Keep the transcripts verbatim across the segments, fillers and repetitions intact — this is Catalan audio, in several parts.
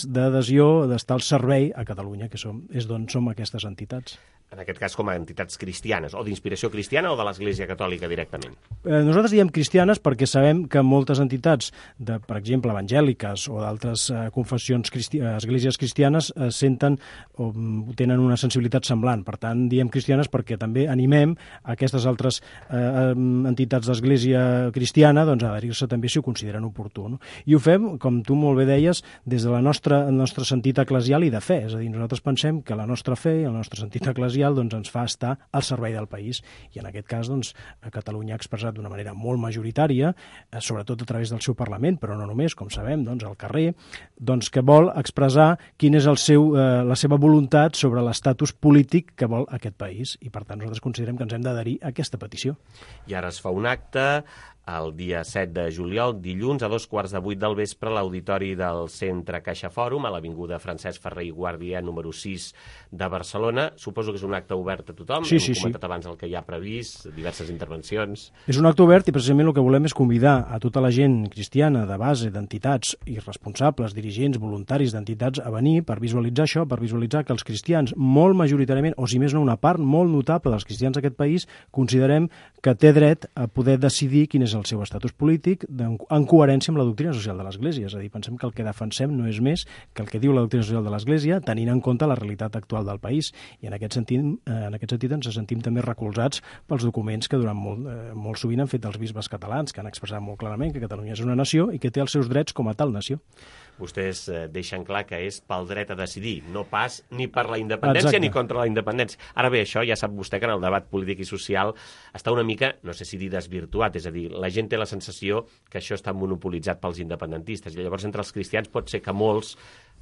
d'adhesió, d'estar al servei a Catalunya, que som, és d'on som aquestes entitats. En aquest cas com a entitats cristianes, o d'inspiració cristiana o de l'Església Catòlica directament? Eh, nosaltres diem cristianes perquè sabem que moltes entitats, de, per exemple, evangèliques o d'altres eh, confessions, cristi esglésies cristianes, eh, senten o tenen una sensibilitat semblant. Per tant, diem cristianes perquè també animem aquestes altres eh, entitats d'església cristiana doncs, a adherir-se també si ho consideren oportú. No? I ho fem, com tu molt bé deies, des de la nostra, el nostre sentit eclesial i de fe. És a dir, nosaltres pensem que la nostra fe i el nostre sentit eclesial doncs, ens fa estar al servei del país. I en aquest cas, doncs, Catalunya ha expressat d'una manera molt majoritària, eh, sobretot a través del seu Parlament, però no només, com sabem, doncs, al carrer, doncs, que vol expressar quin és el seu, eh, la seva voluntat sobre l'estatus polític que vol aquest país. I, per tant, nosaltres considerem que ens hem d'adherir a aquesta petició. I ara es fa un acte el dia set de juliol, dilluns, a dos quarts de vuit del vespre, a l'auditori del Centre Caixa Fòrum, a l'avinguda Francesc Ferrer i Guàrdia, número sis de Barcelona. Suposo que és un acte obert a tothom. Sí, Hem sí, comentat sí. abans el que hi ha previst, diverses intervencions. És un acte obert i precisament el que volem és convidar a tota la gent cristiana de base, d'entitats i responsables, dirigents, voluntaris d'entitats a venir per visualitzar això, per visualitzar que els cristians, molt majoritàriament, o si més no una part molt notable dels cristians d'aquest país, considerem que té dret a poder decidir quin és el seu estatus polític en coherència amb la doctrina social de l'Església. És a dir, pensem que el que defensem no és més que el que diu la doctrina social de l'Església, tenint en compte la realitat actual del país. I en aquest sentit, en aquest sentit ens sentim també recolzats pels documents que durant molt, eh, molt sovint han fet els bisbes catalans, que han expressat molt clarament que Catalunya és una nació i que té els seus drets com a tal nació. Vostès eh, deixen clar que és pel dret a decidir, no pas ni per la independència Exacte. Ni contra la independència. Ara bé, això ja sap vostè que en el debat polític i social està una mica, no sé si dir desvirtuat, és a dir, la gent té la sensació que això està monopolitzat pels independentistes, i llavors entre els cristians pot ser que molts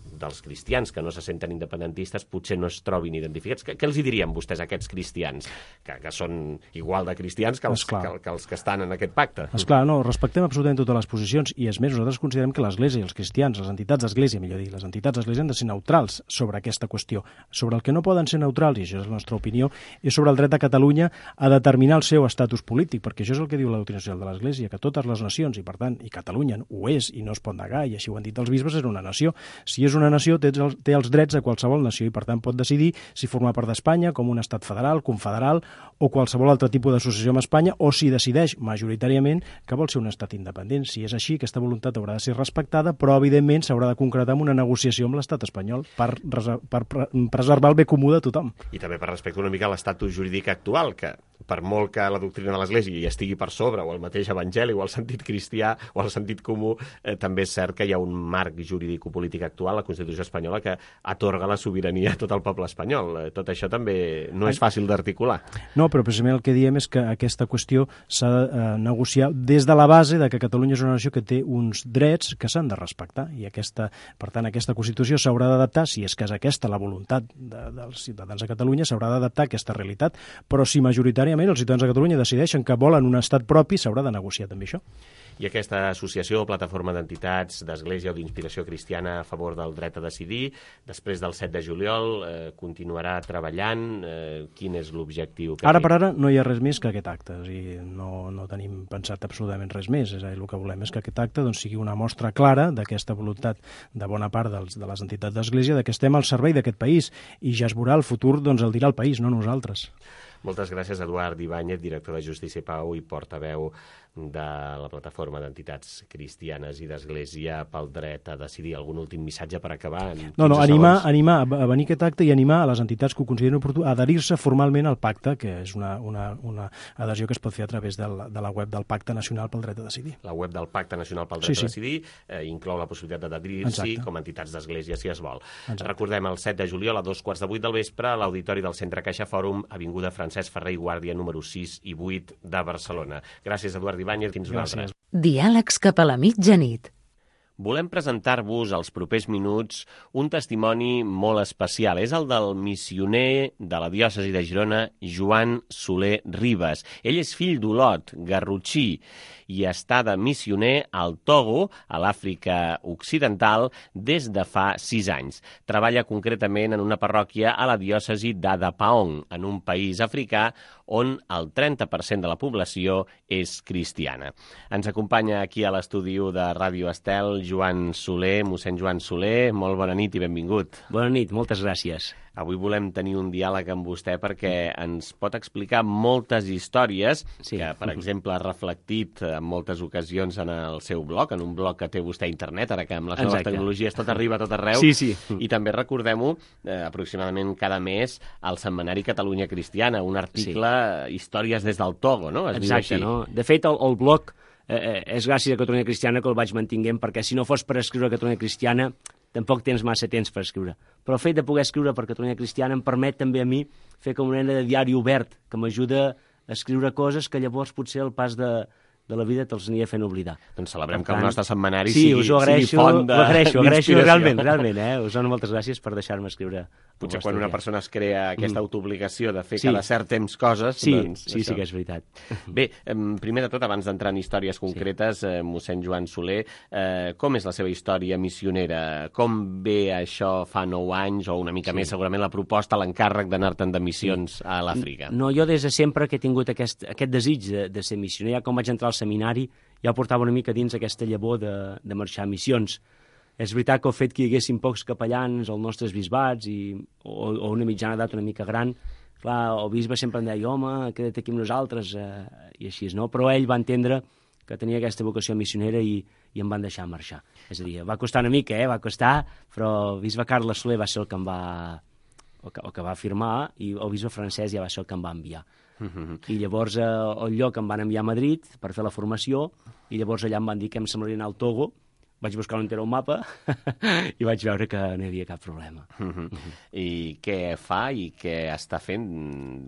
dels cristians que no se senten independentistes potser no es trobin identificats. Què, què els hi dirien vostès a aquests cristians, que, que són igual de cristians que els, que, que els que estan en aquest pacte? Esclar, no, respectem absolutament totes les posicions i, és més, nosaltres considerem que l'Església i els cristians, les entitats d'Església, millor dir, les entitats d'Església han de ser neutrals sobre aquesta qüestió. Sobre el que no poden ser neutrals, i això és la nostra opinió, és sobre el dret de Catalunya a determinar el seu estatus polític, perquè això és el que diu la doctrina social de l'Església, que totes les nacions, i per tant, i Catalunya ho és i no es pot negar, i així ho han dit els bisbes, és una nació. Si és una nació, té els, té els drets de qualsevol nació i, per tant, pot decidir si formar part d'Espanya com un estat federal, confederal o qualsevol altre tipus d'associació amb Espanya, o si decideix majoritàriament que vol ser un estat independent. Si és així, aquesta voluntat haurà de ser respectada, però, evidentment, s'haurà de concretar amb una negociació amb l'estat espanyol per, per preservar el bé comú de tothom. I també per respecte una mica a l'estatus jurídic actual, que per molt que la doctrina de l'Església hi estigui per sobre, o el mateix evangeli, o el sentit cristià, o el sentit comú, eh, també és cert que hi ha un marc jurídico-polític actual, la Constitució espanyola, que atorga la sobirania a tot el poble espanyol. Eh, tot això també no és fàcil d'articular. No, però precisament el que diem és que aquesta qüestió s'ha de eh, negociar des de la base de que Catalunya és una nació que té uns drets que s'han de respectar, i aquesta, per tant, aquesta Constitució s'haurà d'adaptar, si és que és aquesta la voluntat de, dels ciutadans de Catalunya, s'haurà d'adaptar a aquesta realitat, però si majoritàriament els ciutadans de Catalunya decideixen que volen un estat propi, s'haurà de negociar també això. I aquesta associació, plataforma d'entitats d'Església o d'Inspiració Cristiana a favor del dret a decidir, després del set de juliol, eh, continuarà treballant. Eh, quin és l'objectiu? Ara per ara no hi ha res més que aquest acte, o sigui, no, no tenim pensat absolutament res més. És a dir, el que volem és que aquest acte doncs, sigui una mostra clara d'aquesta voluntat de bona part dels, de les entitats d'Església, de que estem al servei d'aquest país, i ja es veurà el futur, doncs el dirà el país, no nosaltres. Moltes gràcies, Eduard Ibáñez, director de Justícia i Pau i portaveu de la plataforma d'entitats cristianes i d'Església pel dret a decidir. Algun últim missatge per acabar? No, no, animar, animar a venir a aquest acte i animar a les entitats que ho consideren oportú a adherir-se formalment al pacte, que és una, una, una adhesió que es pot fer a través de la, de la web del Pacte Nacional pel Dret a Decidir. La web del Pacte Nacional pel Dret sí, sí. a Decidir eh, inclou la possibilitat d'adherir-s'hi com a entitats d'Església, si es vol. Exacte. Recordem, el set de juliol a dos quarts de vuit del vespre a l'auditori del Centre Caixa Fòrum, avinguda Francesc Ferrer i Guàrdia, número sis i vuit de Barcelona. Gràcies, Eduard Ibáñez. Fins una altra. Diàlegs cap a la mitjanit. Volem presentar-vos als propers minuts un testimoni molt especial. És el del missioner de la diòcesi de Girona, Joan Soler Ribas. Ell és fill d'Olot, garrotxí, i està de missioner al Togo, a l'Àfrica Occidental, des de fa sis anys. Treballa concretament en una parròquia a la diòcesi d'Adapaong, en un país africà on el trenta per cent de la població és cristiana. Ens acompanya aquí a l'estudi de Ràdio Estel Joan Soler. Mossèn Joan Soler, molt bona nit i benvingut. Bona nit, moltes gràcies. Avui volem tenir un diàleg amb vostè perquè ens pot explicar moltes històries sí. que, per exemple, ha reflectit en moltes ocasions en el seu blog, en un blog que té vostè a internet, ara que amb les Exacte. noves tecnologies tot arriba a tot arreu. Sí, sí. I també recordem-ho, eh, aproximadament cada mes, al setmanari Catalunya Cristiana, un article, sí. històries des del Togo, no? Es Exacte, no? De fet, el, el blog eh, és gràcies a Catalunya Cristiana que el vaig mantinguent, perquè si no fos per escriure Catalunya Cristiana tampoc tens massa temps per escriure. Però el fet de poder escriure per Catalunya Cristiana em permet també a mi fer com una mena de diari obert, que m'ajuda a escriure coses que llavors potser el pas de, de la vida te'ls aniria fent oblidar. Doncs celebrem per que tant, el nostre setmanari sí, sigui, us ho agraeixo, sigui font de, ho agraeixo, ho agraeixo realment, realment, eh? Us dono moltes gràcies per deixar-me escriure. Potser quan una persona es crea aquesta mm. autoobligació de fer sí. cada cert temps coses... Sí, doncs, sí, sí que és veritat. Bé, primer de tot, abans d'entrar en històries concretes, sí. eh, mossèn Joan Soler, eh, com és la seva història missionera? Com ve això fa nou anys, o una mica sí. més, segurament, la proposta, l'encàrrec d'anar-te'n de missions sí. a l'Àfrica? No, jo des de sempre que he tingut aquest, aquest desig de, de ser missioner, ja com vaig entrar al seminari, ja portava una mica dins aquesta llavor de, de marxar a missions. És veritat que el fet que hi haguessin pocs capellans als nostres bisbats i, o, o una mitjana edat una mica gran, clar, el bisbe sempre em deia, home, queda't aquí amb nosaltres, eh, i així, no? Però ell va entendre que tenia aquesta vocació missionera i, i em van deixar marxar. És a dir, va costar una mica, eh? Va costar, però el bisbe Carles Soler va ser el que em va, el que, el que va firmar i el bisbe francès ja va ser el que em va enviar. Uh-huh. I llavors eh, al lloc em van enviar a Madrid per fer la formació i llavors allà em van dir que em semblaria anar al Togo. Vaig buscar on era un mapa i vaig veure que no hi havia cap problema. Uh-huh. Uh-huh. I què fa i què està fent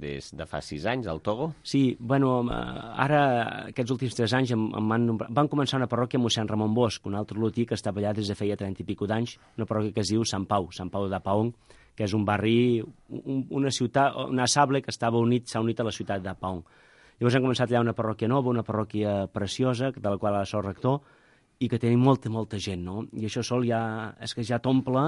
des de fa sis anys al Togo? Sí, bueno, ara aquests últims tres anys em, em van, van començar una parròquia a mossèn Ramon Bosch, un altre lotí que estava allà des de feia trenta i pico d'anys, una parròquia que es diu Sant Pau, Sant Pau de Paong, que és un barri, un, una ciutat, una sable que estava unit, s'ha unit a la ciutat de Paong. Llavors hem començat allà una parròquia nova, una parròquia preciosa, de la qual ara soc rector, i que tenim molta, molta gent, no? I això sol ja, és que ja t'omple,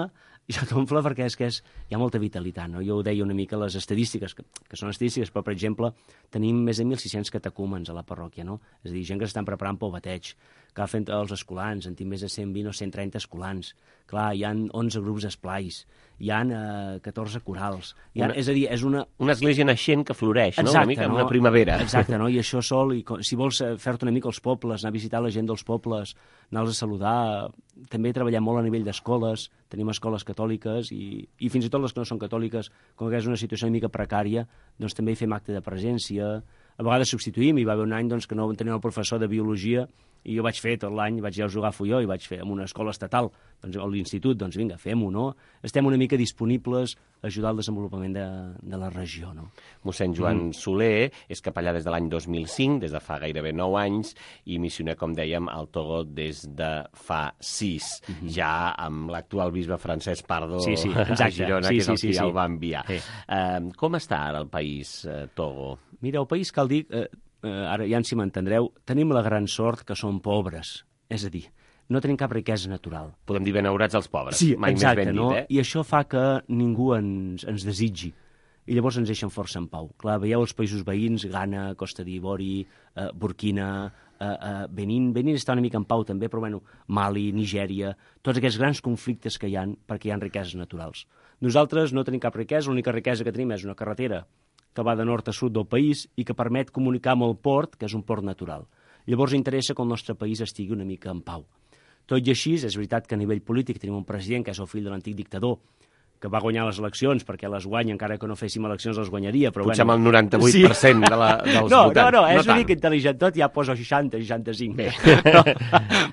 ja t'omple perquè és que és, hi ha molta vitalitat, no? Jo ho deia una mica les estadístiques, que, que són estadístiques, però, per exemple, tenim més de mil sis-cents catecúmens a la parròquia, no? És a dir, gent que s'estan preparant pel bateig, que fent els escolans, en tinc més de cent vint o cent trenta escolans. Clar, hi ha onze grups esplais, hi ha eh, catorze corals. Hi ha, una, és a dir, és una... Una església naixent que floreix, Exacte, no? Una mica no? una primavera. Exacte, no? I això sol, i si vols fer-te una mica els pobles, anar a visitar la gent dels pobles, anar-los a saludar, també treballem molt a nivell d'escoles, tenim escoles catòliques i, i fins i tot les que no són catòliques, com que és una situació una mica precària, doncs també hi fem acte de presència, a vegades substituïm, hi va haver un any doncs, que no teníem el professor de biologia i jo vaig fer tot l'any, vaig ja jugar a Fulló i vaig fer en una escola estatal, doncs, a l'institut, doncs vinga, fem-ho, no? Estem una mica disponibles a ajudar al desenvolupament de, de la regió, no? Mossèn Joan mm. Soler és capellà des de l'any dos mil cinc, des de fa gairebé nou anys, i missioner, com dèiem, al Togo des de fa sis, mm-hmm. ja amb l'actual bisbe Francesc Pardo sí, sí, exacte. a Girona, sí, que és sí, el sí, que sí. el va enviar. Sí. Uh, com està ara el país, uh, Togo? Mira, el país, cal dir... Uh, Uh, ara ja si m'entendreu, tenim la gran sort que som pobres, és a dir, no tenim cap riquesa natural. Podem dir benaurats els pobres, sí, mai exacte, més ben no? dit, eh? I això fa que ningú ens, ens desitgi, i llavors ens deixen força en pau. Clar, veieu els països veïns, Ghana, Costa d'Ivori, eh, Burkina, eh, eh, Benín, Benín està una mica en pau també, però bueno, Mali, Nigèria, tots aquests grans conflictes que hi ha perquè hi ha riqueses naturals. Nosaltres no tenim cap riquesa, l'única riquesa que tenim és una carretera que va de nord a sud del país i que permet comunicar amb el port, que és un port natural. Llavors interessa que el nostre país estigui una mica en pau. Tot i així, és veritat que a nivell polític tenim un president que és el fill de l'antic dictador, que va guanyar les eleccions, perquè les guanya, encara que no féssim eleccions, les guanyaria. Però potser bueno, amb el noranta-vuit per cent sí. de la, dels no, votants. No, no, és no una mica intel·ligent tot, ja posa seixanta, seixanta-cinc. Però,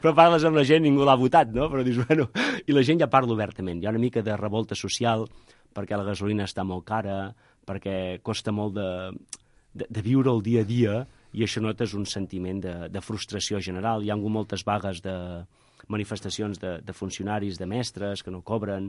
però parles amb la gent, ningú l'ha votat, no? Però dius, bueno, i la gent ja parla obertament. Hi ha una mica de revolta social, perquè la gasolina està molt cara, perquè costa molt de, de, de viure el dia a dia, i això notes un sentiment de, de frustració general. Hi ha hagut moltes vagues de manifestacions de, de funcionaris, de mestres, que no cobren,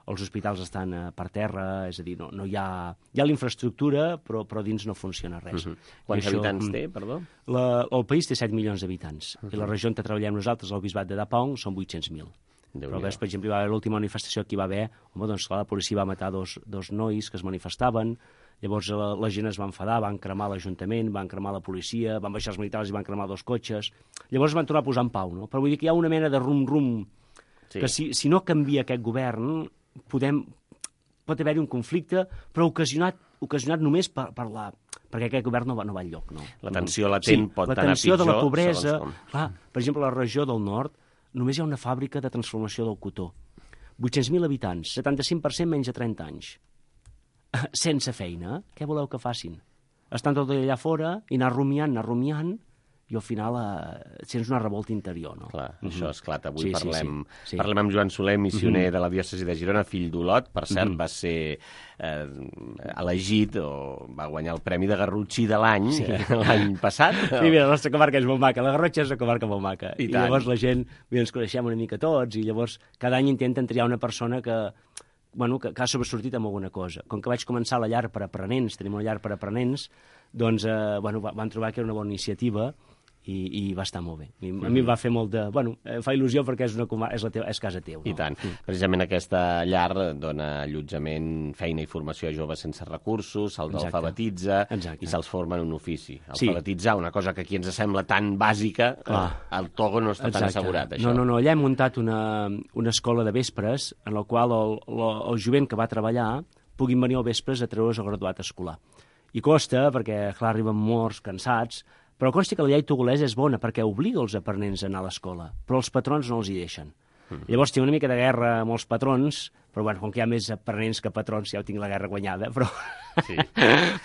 els hospitals estan per terra, és a dir, no, no hi ha... Hi ha la infraestructura, però, però dins no funciona res. Uh-huh. Quants això, habitants té, perdó? La, el país té set milions d'habitants, uh-huh. i la regió on treballem nosaltres, el bisbat de Dapong, són vuit-cents mil. Però ves, per exemple, hi va haver l'última manifestació que hi va haver, home, doncs clar, la policia va matar dos, dos nois que es manifestaven, Llavors la, la gent es va enfadar, van cremar l'Ajuntament, van cremar la policia, van baixar els militars i van cremar dos cotxes. Llavors es van tornar a posar en pau, no? Però vull dir que hi ha una mena de rum-rum, sí. que si, si no canvia aquest govern, podem, pot haver-hi un conflicte, però ocasionat, ocasionat només per, per la... perquè aquest govern no va, no va enlloc. No? La tensió latent sí, pot anar pitjor. La tensió de la pobresa... Clar, per exemple, a la regió del nord només hi ha una fàbrica de transformació del cotó. vuit-cents mil habitants, setanta-cinc per cent menys de trenta anys. Sense feina, què voleu que facin? Estan tot allà fora i anar rumiant, anar rumiant, i al final eh, sents una revolta interior, no? Clar, mm-hmm. això esclata. Avui sí, parlem, sí, sí. parlem amb Joan Soler, missioner mm-hmm. de la diòcesi de Girona, fill d'Olot. Per cert, mm-hmm. va ser eh, elegit, o va guanyar el Premi de Garrotxí de l'any, sí. l'any passat. Sí, mira, la nostra comarca és molt maca, la Garrotxa és una comarca molt maca. I, I llavors la gent, mira, ens coneixem una mica tots, i llavors cada any intenten triar una persona que... Bueno, que, que ha sobresortit amb alguna cosa. Com que vaig començar la llar per aprenents, tenim una llar per aprenents, doncs eh, bueno, van trobar que era una bona iniciativa i, i va estar molt bé. I, a mi em va fer molt de... Bueno, em fa il·lusió perquè és, una, és, la teva, és casa teu. No? I tant. Mm. Precisament aquesta llar dona allotjament, feina i formació a joves sense recursos, se'ls alfabetitza i se'ls forma en un ofici. Alfabetitzar, sí. una cosa que aquí ens sembla tan bàsica, ah. al Togo no està Exacte. tan assegurat, això. No, no, no. Allà hem muntat una, una escola de vespres en la qual el, el, el jovent que va treballar puguin venir al vespres a treure's el graduat escolar. I costa, perquè, clar, arriben morts, cansats, però consti que la llei togolesa és bona perquè obliga els aprenents a anar a l'escola, però els patrons no els hi deixen. Mm. Llavors tinc una mica de guerra amb els patrons, però bueno, com que hi ha més aprenents que patrons, ja ho tinc la guerra guanyada, però... Sí.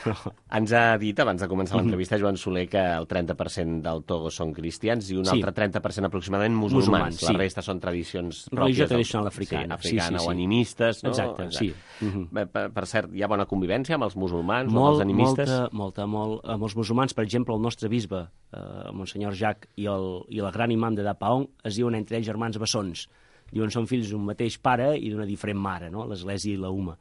però... Ens ha dit, abans de començar l'entrevista, Joan Soler, que el trenta per cent del Togo són cristians i un sí. altre trenta per cent aproximadament musulmans. musulmans sí. La resta són tradicions pròpies. Religió tradicional africana. Sí, africana sí, sí, o animistes, no? Exacte, Exacte. sí. Uh-huh. per, per cert, hi ha bona convivència amb els musulmans molt, o els animistes? Molta, molta, molt. Amb els musulmans, per exemple, el nostre bisbe, eh, Monsenyor Jacques, i el, i el gran imam de Dapaong, es diuen entre ells germans bessons. Diuen són fills d'un mateix pare i d'una diferent mare, no? L'Església i la Uma.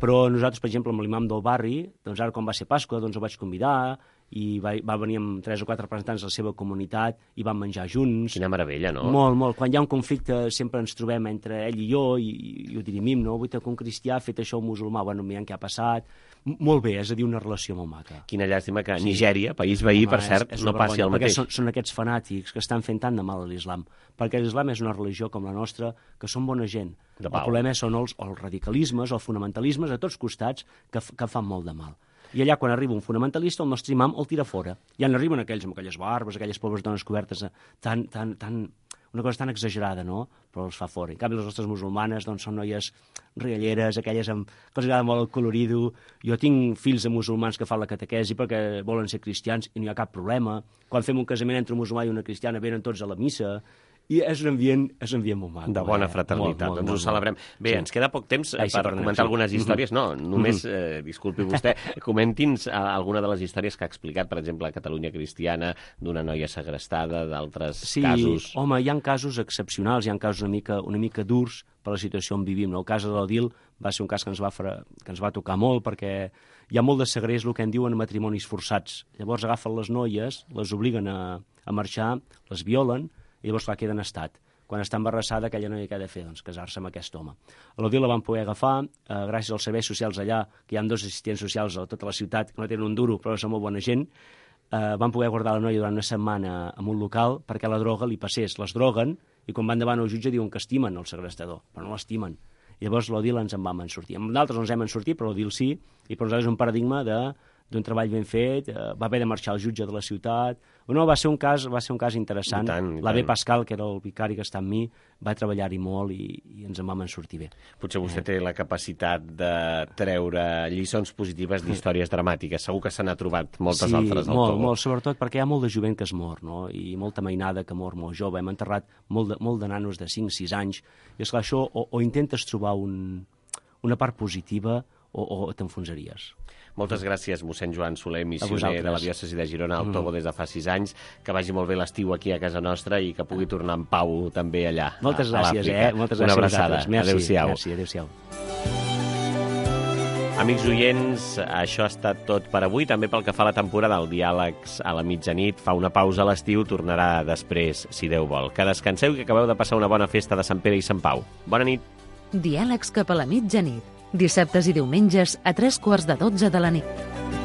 Però nosaltres, per exemple, amb l'imam del barri, doncs ara quan va ser Pasqua, doncs el vaig convidar i va, va venir amb tres o quatre representants de la seva comunitat i vam menjar junts. Quina meravella, no? Molt, molt. Quan hi ha un conflicte sempre ens trobem entre ell i jo i, i ho dirimim, no? Vull que un cristià ha fet això un musulmà, bueno, mirant què ha passat. Molt bé, és a dir, una relació molt maca. Quina llàstima que sí. Nigèria, país veí, Home, per cert, és, és no passi el mateix. Són, són aquests fanàtics que estan fent tant de mal a l'islam. Perquè l'islam és una religió com la nostra, que són bona gent. El problema són els, els radicalismes, els fonamentalismes a tots costats que, que fan molt de mal. I allà, quan arriba un fonamentalista, el nostre imam el tira fora. Ja n'arriben aquells amb aquelles barbes, aquelles pobres dones cobertes, tan, tan, tan, una cosa tan exagerada, no? Però els fa fora. En canvi, les nostres musulmanes doncs, són noies rialleres, aquelles amb, que els agrada molt el colorido. Jo tinc fills de musulmans que fan la catequesi perquè volen ser cristians i no hi ha cap problema. Quan fem un casament entre un musulmà i una cristiana, venen tots a la missa. I és un ambient, és un ambient molt maco. De bona fraternitat, molt, molt, doncs molt, ho celebrem. Bé, sí. ens queda poc temps Ai, per sí, comentar sí. algunes històries. No, només, eh, disculpi vostè, comenti'ns alguna de les històries que ha explicat, per exemple, a Catalunya Cristiana, d'una noia segrestada, d'altres sí, casos. Sí, home, hi ha casos excepcionals, hi ha casos una mica, una mica durs per la situació on vivim. El cas de l'Odil va ser un cas que ens va, fra... que ens va tocar molt, perquè hi ha molt de segrest, el que en diuen matrimonis forçats. Llavors agafen les noies, les obliguen a, a marxar, les violen, i llavors clar, queda en estat. Quan està embarassada, aquella noia que ha de fer, doncs, casar-se amb aquest home. A l'Odil la van poder agafar, eh, gràcies als serveis socials allà, que hi ha dos assistents socials a tota la ciutat, que no tenen un duro, però són molt bona gent, eh, van poder guardar la noia durant una setmana en un local perquè la droga li passés. Les droguen i quan van davant al jutge diuen que estimen el segrestador, però no l'estimen. I llavors l'Odil ens en vam en sortir. Amb d'altres no ens hem en sortit, però l'Odil sí, i per nosaltres és un paradigma de d'un treball ben fet, eh, va haver de marxar el jutge de la ciutat. No, va ser un cas, va ser un cas interessant. L'Abe Pascal, que era el vicari que està amb mi, va treballar-hi molt i, i ens en vam en sortir bé. Potser vostè eh. té la capacitat de treure lliçons positives d'històries dramàtiques. Segur que se n'ha trobat moltes sí, altres al molt, Togo. molt, sobretot perquè hi ha molt de jovent que es mor, no? I molta mainada que mor molt jove. Hem enterrat molt de, molt de nanos de cinc sis anys. I esclar, això o, o intentes trobar un, una part positiva o, o t'enfonsaries. Moltes gràcies, mossèn Joan Soler, missioner de la diòcesi de Girona al Togo des de fa sis anys. Que vagi molt bé l'estiu aquí a casa nostra i que pugui tornar en pau també allà. Moltes a, gràcies, a eh? Moltes Una gràcies abraçada. Adéu-siau. Merci, adéu-siau. Amics oients, això ha estat tot per avui. També pel que fa a la temporada, el Diàlegs a la mitjanit fa una pausa a l'estiu, tornarà després, si Déu vol. Que descanseu i que acabeu de passar una bona festa de Sant Pere i Sant Pau. Bona nit. Diàlegs cap a la mitjanit, Dissabtes i diumenges a tres quarts de dotze de la nit.